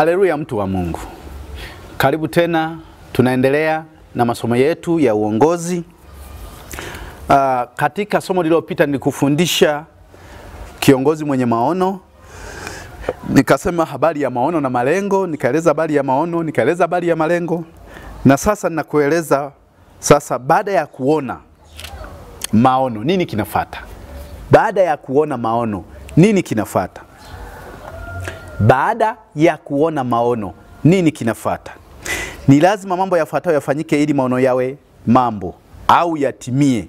Haleluya, mtu wa Mungu. Karibu tena, tunaendelea na masomo yetu ya uongozi. Katika somo lililopita nilikufundisha kiongozi mwenye maono. Nikasema habari ya maono na malengo, nikaeleza habari ya maono, nikaeleza habari ya malengo. Na sasa ninakueleza sasa baada ya kuona maono nini kinafuata? Baada ya kuona maono nini kinafuata? Baada ya kuona maono nini kinafuata? Ni lazima mambo yafuatayo yafanyike ili maono yawe mambo au yatimie.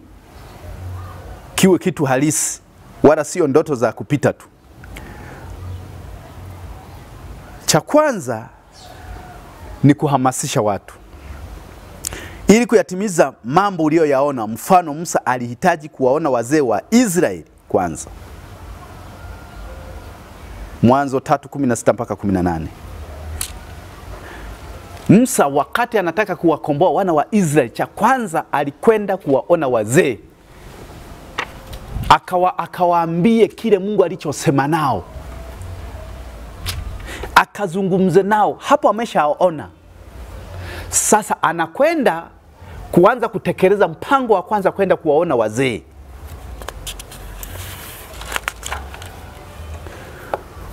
Kiwe kitu halisi, wala sio ndoto za kupita tu. Cha kwanza ni kuhamasisha watu ili kuyatimiza mambo uliyoyaona. Mfano, Musa alihitaji kuwaona wazee wa Israeli kwanza. Mwanzo 3:16 mpaka 18. Musa wakati anataka kuwakomboa wana wa Israeli, cha kwanza alikwenda kuwaona wazee. Akawaambie kile Mungu alichosema nao. Akazungumze nao, hapo ameshaona. Sasa anakwenda kuanza kutekeleza mpango wa kwanza, kwenda kuwaona wazee.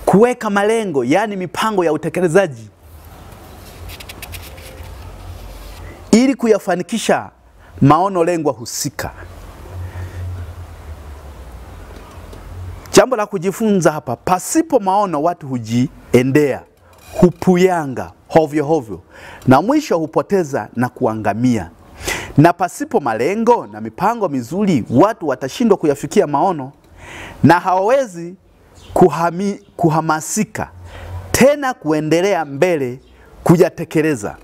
Kuweka malengo, yani mipango ya utekelezaji ili kuyafanikisha maono lengwa husika. Jambo la kujifunza hapa, pasipo maono watu hujiendea, hupuyanga hovyo hovyo, na mwisho hupoteza na kuangamia. Na pasipo malengo na mipango mizuri, watu watashindwa kuyafikia maono na hawawezi kuhamasika tena kuendelea mbele kuyatekeleza.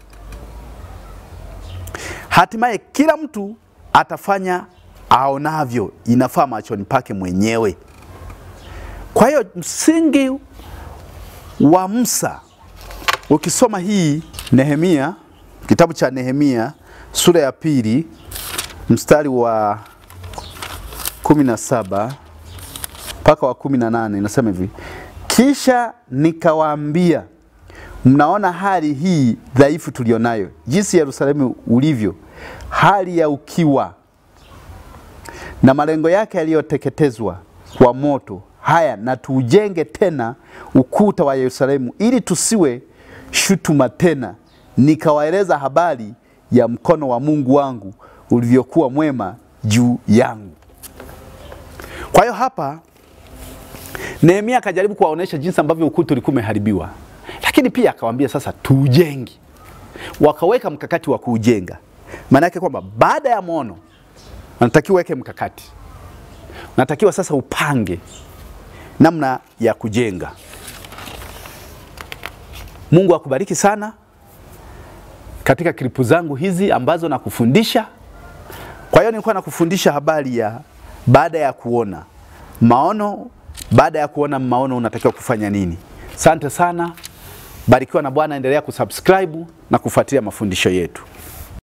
Hatimaye kila mtu atafanya aonavyo inafaa machoni pake mwenyewe. Kwa hiyo msingi wa Musa, ukisoma hii Nehemia, kitabu cha Nehemia sura ya 2 mstari wa 17 mpaka wa 18, inasema hivi: kisha nikawaambia, mnaona hali hii dhaifu tulionayo, jinsi Yerusalemu ulivyo, hali ya ukiwa na malengo yake yaliyoteketezwa kwa moto. Haya, na tuujenge tena ukuta wa Yerusalemu ili tusiwe shutuma tena. Nikawaeleza habari ya mkono wa Mungu wangu ulivyokuwa mwema juu yangu. Kwa hiyo hapa Nehemia akajaribu kuwaonesha jinsi ambavyo ukuta ulikuwa umeharibiwa, lakini pia akawaambia sasa tuujenge. Wakaweka mkakati wa kuujenga. Maana yake kwamba baada ya maono unatakiwa weke mkakati. Unatakiwa sasa upange namna ya kujenga. Mungu akubariki sana katika klipu zangu hizi ambazo nakufundisha. Kwa hiyo nilikuwa nakufundisha habari ya baada ya kuona maono. Baada ya kuona maono unatakiwa kufanya nini? Asante sana. Barikiwa na Bwana, endelea kusubscribe na kufuatilia mafundisho yetu.